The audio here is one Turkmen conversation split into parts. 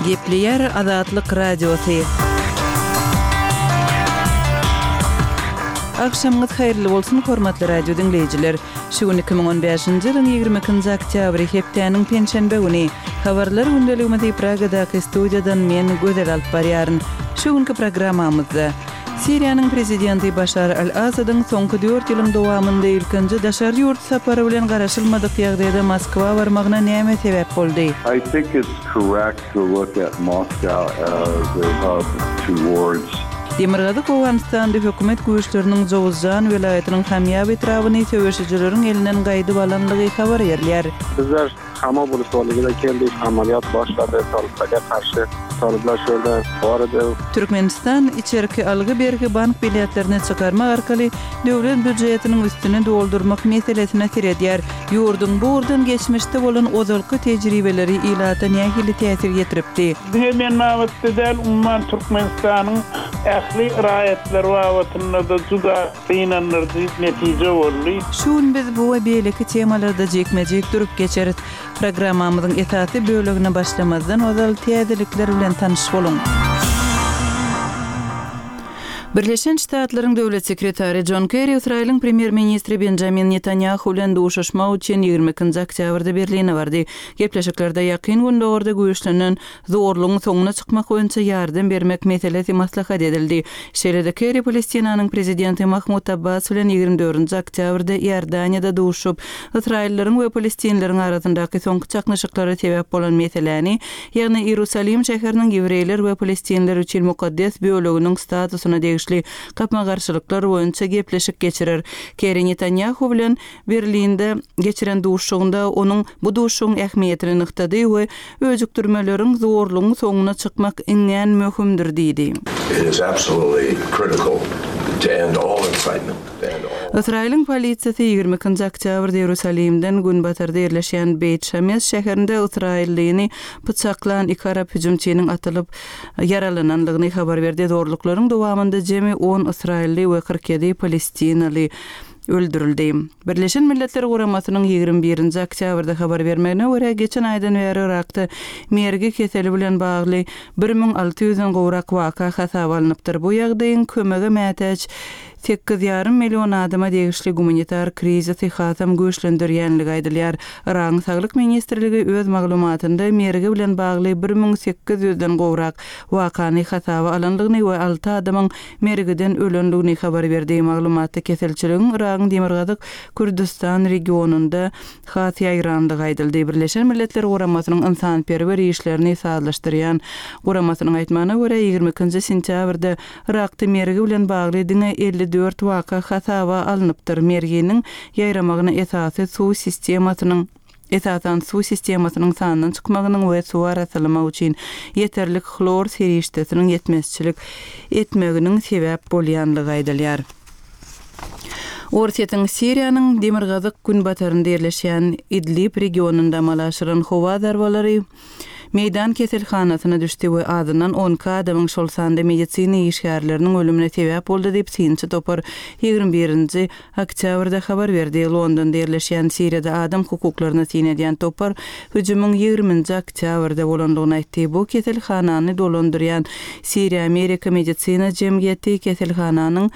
Gepleýär Azatlyk Radiosy. Agşamyňyz haýyrly bolsun, hormatly radio diňleýjiler! Şu gün 2015-nji ýylyň 22-nji oktýabry, hepdäniň penşenbe güni. Habarlar gündeligimizi Pragadaky studiýadan men, Gözel alyp barýaryn. Şu günki programmamyzda. Siriýanyň prezidenti Başar al-Asadyň soňky dört ýylyň dowamynda ilkinji daşary ýurt sapary bilen garaşylmadyk ýagdaýda Moskwa barmagyna näme sebäp boldy? I think it's correct to look at Moscow as a hub towards. Demirgazyk Owganystanda hökümet güýçleriniň Jowuzjan welaýatynyň Hamýab etrabyny söweşijileriň elinden gaýdyp alandygy habar berilýär. Bizler Hama bulutwalygyna geldik, amalýat başlady, talyplarga garşy talyplar şu ýerde bar edi. Türkmenistan içerki algy-bergi bank biletlerini çykarmak arkaly döwlet býujetiniň üstüni doldurmak meselesine seredýär. Ýurduň bu ugurdan geçmişde bolan ozalky tejribeleri ilata nähili täsir ýetiripdi? Diňe men babatda däl, umuman Türkmenistanyň ähli raýatlary babatynda-da juda Gynandyryjy netije boldy. Şu gün biz bu we beýleki temalarda jikme-jik durup geçeris. Programmamyzyň esasy bölegine başlamazdan ozal täzelikler bilen tanyş boluň. Birleşen Ştatlaryň Döwlet sekretary Jon Kerri Ysraýylyň premýer-ministri Benjamin Netanýahu bilen duşuşmak üçin 22-nji oktýabrda Berline bardy. Gepleşiklerde Ýakyn Gündogarda güýçlenen Zorlugyň soňuna çykmak boýunça ýardam bermek meselesi maslahat edildi. Şeýle-de Kerri Palestinanyň prezidenti Mahmud Abbas bilen 24-nji oktýabrda Iordaniýada duşup, ysraýyllaryň we palestinleriň arasyndaky soňky çaknyşyklara sebäp bolan meseläni, ýagny Iýerusalim şäheriniň ýewreýler we palestinler üçin mukaddes böleginiň statusyna degişli gapma-garşylyklar boýunça gepleşik geçirer. Kerri Netanýahu bilen Berlinde geçiren duşuşygynda onuň bu duşuşygyň ähmiýetini nygtady we öjükdirmeleriň, zorlugyň soňuna çykmak iňňän möhümdir diýdi. It is absolutely critical to end all incitement, to end all. Ysraýylyň polisiýasy 22-nji oktýabrda Iýerusalimden günbatarda ýerleşýän Beýt Şames şäherinde ysraýyllyny pyçaklan iki arap hüjümçiniň atylyp ýaralanandygyny habar berdi. Zorluklaryň dowamynda jemi on ysraýylly we 47 palestinaly öldürildi. Birleşen Milletler Guramasynyň 21-nji oktýabrda habar bermegine görä, geçen aýdan bäri Yrakda mergi keseli bilen bagly 1600-den gowrak waka hasaba alnypdyr. Bu ýagdaýyň kömege mätäç sekiz ýarym million adama degişli gumanitar krizisi hasam güýçlendirýänligi aýdylýar. Yragyň Saglyk ministrligi öz maglumatynda mergi bilen bagly 1800-den gowrak wakany hasaba alandygyny we alty adamyň mergiden ölendigini habar berdi. Maglumatda keselçiligiň Yragyň Demirgazyk Kürdüstan regionynda has ýaýrandygy aýdyldy. Birleşen Milletler Guramasynyň ynsanperwer işlerini sazlaşdyrýan guramasynyň aýtmagyna görä, 22-nji sentýabrda Yrakda mergi bilen bagly diňe 54 waka hasaba alnypdyr. Merginiň ýaýramagyna esasy suw sistemasynyň esasan suw sistemasynyň sandan çykmagynyň we suwy arassalamak üçin ýeterlik hlor serişdesiniň ýetmezçilik etmeginiň sebäp bolýanlygy aýdylýar. Orsýetiň Siriýanyň demirgazyk-günbatarynda ýerleşýän Idlib regionynda amala aşyran howa zarbalary meýdan keselhanasyna düşdi we azyndan 12 adamyň, şol sanda medisina işgärleriniň ölümine sebäp boldy diýip, synçy topar 21-nji oktýabrda habar berdi. Londonda ýerleşýän Siriýada adam hukuklaryna syn edýän topar hüjümiň 20-nji oktýabrda bolandygyny aýtdy. Bu keselhanany dolandyrýan Siriýa-Amerika medisina jemgyýeti keselhananyň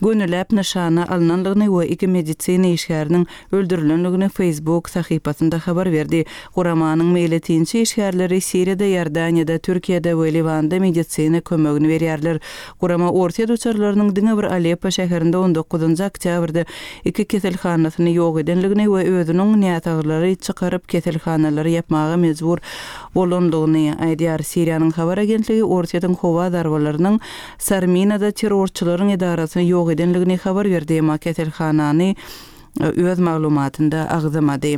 gönüläp nyşana alnandygyny we iki medisina işgäriniň öldürilendigini Facebook sahypasynda habar berdi. Guramanyň meýletinçi işgärleri Siriýada, Iordaniýada, Türkiýede we Liwanda medisina kömegini berýärler. Gurama Orsýet uçarlarynyň diňe bir Aleppo şäherinde on dokuzynjy oktýabrda iki keselhanasyny ýok edendigini we özüniň näsaglary çykaryp keselhanalary ýapmaga mejbur bolandygyny aýdýar. Siriýanyň habar agentligi Orsýetiň howa zarbalarynyň Sarminada terrorçylaryň edarasyny ýok edendigini habar berdi, emma keselhanany öz maglumatynda agzamady.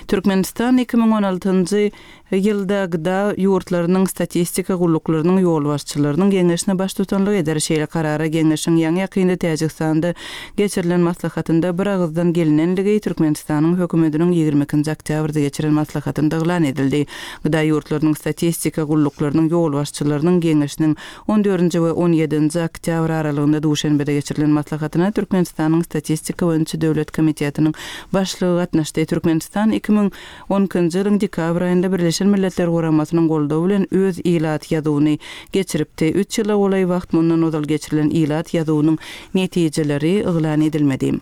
Türkmenistan 2016-njy ýylda gda ýurtlarynyň statistika gulluklarynyň ýolbaşçylarynyň geňeşine baştutanlyk eder. Şeýle karara geňeşiň ýaňy-ýakynda Täjigistanda geçirilen maslahatynda biragyzdan gelinenligi Türkmenistanyň Hökümetiniň 22-nji oktýabrda geçiren maslahatynda yglan edildi. Gda ýurtlarynyň statistika gulluklarynyň ýolbaşçylarynyň geňeşiniň On dördünji we on ýedinji oktýabr aralygynda Duşenbede geçirilen maslahatyna Türkmenistanyň Statistika boýunça döwlet komitetiniň başlygy gatnaşdy. Türkmenistan 2012-nji ýylyň dekabr aýynda Birleşen. Birleşen Milletler Guramasynyň goldawy bilen öz ilat ýazuwyny geçiripdi. Üç ýyla golaý wagt mundan ozal geçirilen ilat ýazuwynyň netijeleri yglan edilmedi.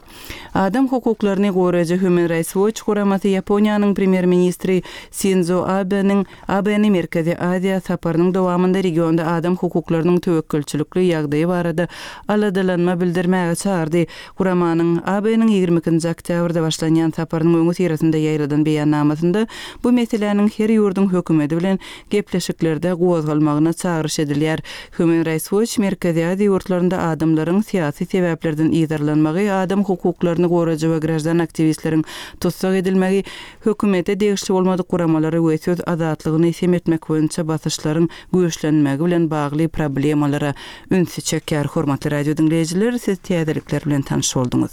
Adam hukuklaryny goraýjy Human Rights Watch guramasy Ýaponiýanyň premýer-ministri Sindzo Abeniň Abeni Merkezi Aziýa saparynyň dowamynda regionda adam hukuklarynyň töwekgelçilikli ýagdaýy barada aladalanma bildirmäge çagyrdy. Guramanyň Abeniň 22-nji oktýabrda başlanýan saparynyň öňüsyrasynda ýaýradan beýannamasynda bu meseläniň her ýurduň hökümeti bilen gepleşiklerde gozgalmagyna çagyryş edilýär. Human Rights Watch Merkezi Aziýa ýurtlarynda adamlaryň syýasy sebäplerden yzarlanmagy, adam hukuklaryny goraýjy we graždan aktiwistleriň tussag edilmegi, hökümete degişli bolmadyk guramalary we söz azatlygyny sem etmek boýunça basyşlaryň güýçlenmegi bilen bagly problemalara ünsi çekýär. Hormatly radio diňleýjiler, siz täzelikler bilen tanyş bolduňyz.